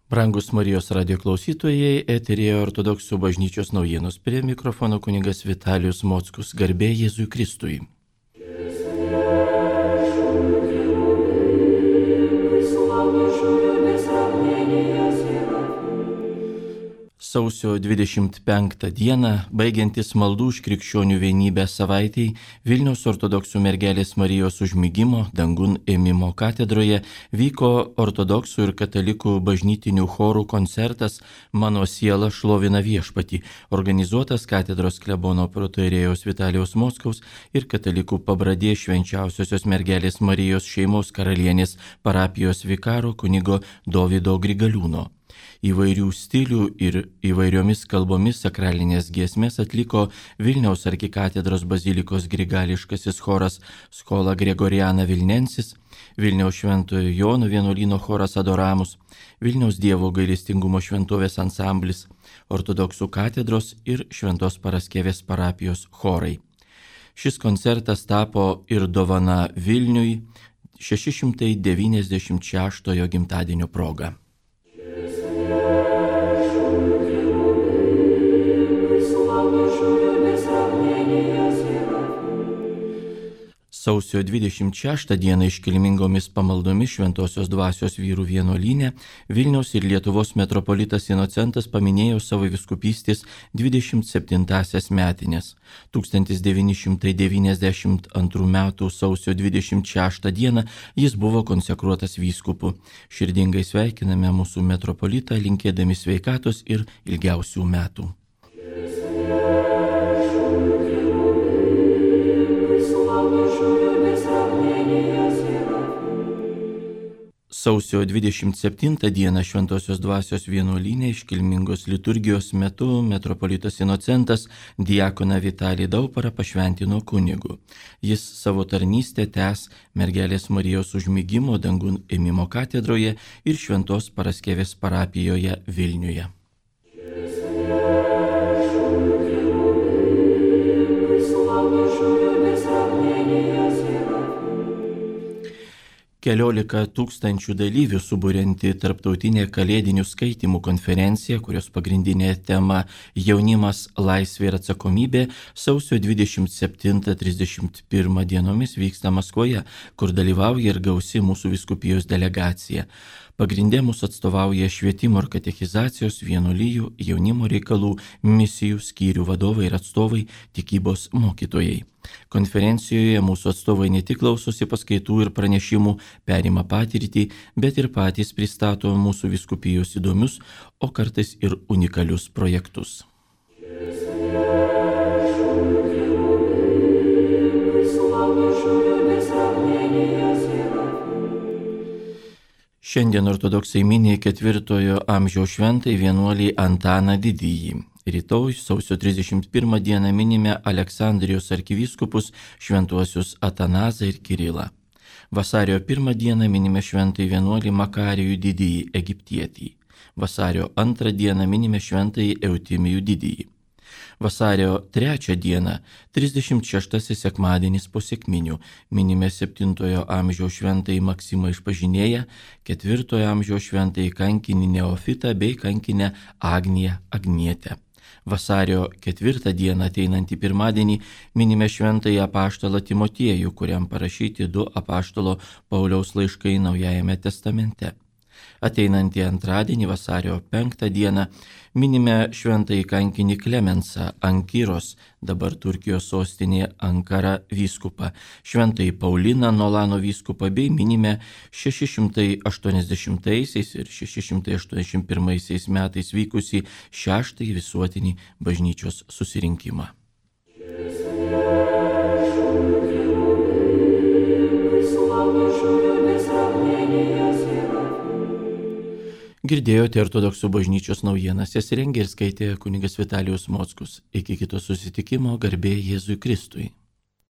Brangus Marijos radio klausytojai, eterėje Ortodoksų bažnyčios naujienos, prie mikrofono kunigas Vitalijus Mockus, garbė Jėzui Kristui. Sausio 25 dieną, baigiantis maldų už krikščionių vienybę savaitei, Vilniaus ortodoksų mergelės Marijos užmigimo dangun ėmimo katedroje vyko ortodoksų ir katalikų bažnytinių chorų koncertas Mano siela šlovina viešpatį, organizuotas katedros klebono protoierėjaus Vitalijaus Mockaus ir katalikų pabradė švenčiausiosios mergelės Marijos šeimos karalienės parapijos vikaro kunigo Dovydo Grigaliūno. Įvairių stilių ir įvairiomis kalbomis sakralinės giesmės atliko Vilniaus arkikatedros bazilikos grigališkasis choras Schola Gregoriana Vilnensis, Vilniaus Šventojo Jono vienuolyno choras Adoramus, Vilniaus Dievo gailestingumo šventovės ansamblis, ortodoksų katedros ir Šventos Paraskevės parapijos chorai. Šis koncertas tapo ir dovana Vilniui 696 gimtadienio proga. Sausio 26 dieną iškilmingomis pamaldomis Šventosios dvasios vyrų vienuolyne Vilniaus ir Lietuvos metropolitas Inocentas paminėjo savo vyskupystės 27-asias metines. 1992 m. sausio 26 dieną jis buvo konsekruotas vyskupu. Širdingai sveikiname mūsų metropolitą, linkėdami sveikatos ir ilgiausių metų. Sausio 27 dieną Šventosios dvasios vienuolyne iškilmingos liturgijos metu metropolitas Inocentas diakoną Vitalį Dauparą pašventino kunigu. Jis savo tarnystę tęs mergelės Marijos užmigimo dangun ėmimo katedroje ir Šventos Paraskevės parapijoje Vilniuje. Keliolika tūkstančių dalyvių suburianti tarptautinė kalėdinių skaitymų konferencija, kurios pagrindinė tema jaunimas, laisvė ir atsakomybė, sausio 27-31 dienomis vyksta Maskvoje, kur dalyvauja ir gausi mūsų vyskupijos delegacija. Pagrindė mūsų atstovauja švietimo ir katechizacijos, vienuolijų, jaunimo reikalų, misijų, skyrių vadovai ir atstovai, tikybos mokytojai. Konferencijoje mūsų atstovai ne tik klausosi paskaitų ir pranešimų, perima patirtį, bet ir patys pristato mūsų vyskupijos įdomius, o kartais ir unikalius projektus. Šiandien ortodoksai mini 4 amžiaus šventąjį vienuolį Antaną Didįjį. Rytoj, sausio 31 dieną minime Aleksandrijos arkivyskupus šventuosius Atanazą ir Kirilą. Vasario 1 dieną minime šventąjį vienuolį Makarijų Didįjį Egiptietį. Vasario 2 dieną minime šventąjį Eutimijų Didįjį. Vasario 3 dieną, 36 sekmadienis po sekminių, minime 7 amžiaus šventąjį Maksimą Išpažinėją, 4 amžiaus šventąjį kankinį Neofitą bei kankinę Agniją Agnietę. Vasario 4 dieną, ateinantį pirmadienį, minime šventąjį apaštalą Timotiejų, kuriam parašyti 2 apaštalo Pauliaus laiškai Naujajame testamente. Ateinantį antradienį, vasario 5 dieną, minime šventąjį kankinį Klemensą Ankiros, dabar Turkijos sostinėje Ankara vyskupą, šventąjį Pauliną Nolano vyskupą bei minime 680 ir 681 metais vykusį 6 visuotinį bažnyčios susirinkimą. Girdėjote ortodoksų bažnyčios naujienas, jas rengė ir skaitė kunigas Vitalijus Mockus. Iki kito susitikimo, garbė Jėzui Kristui.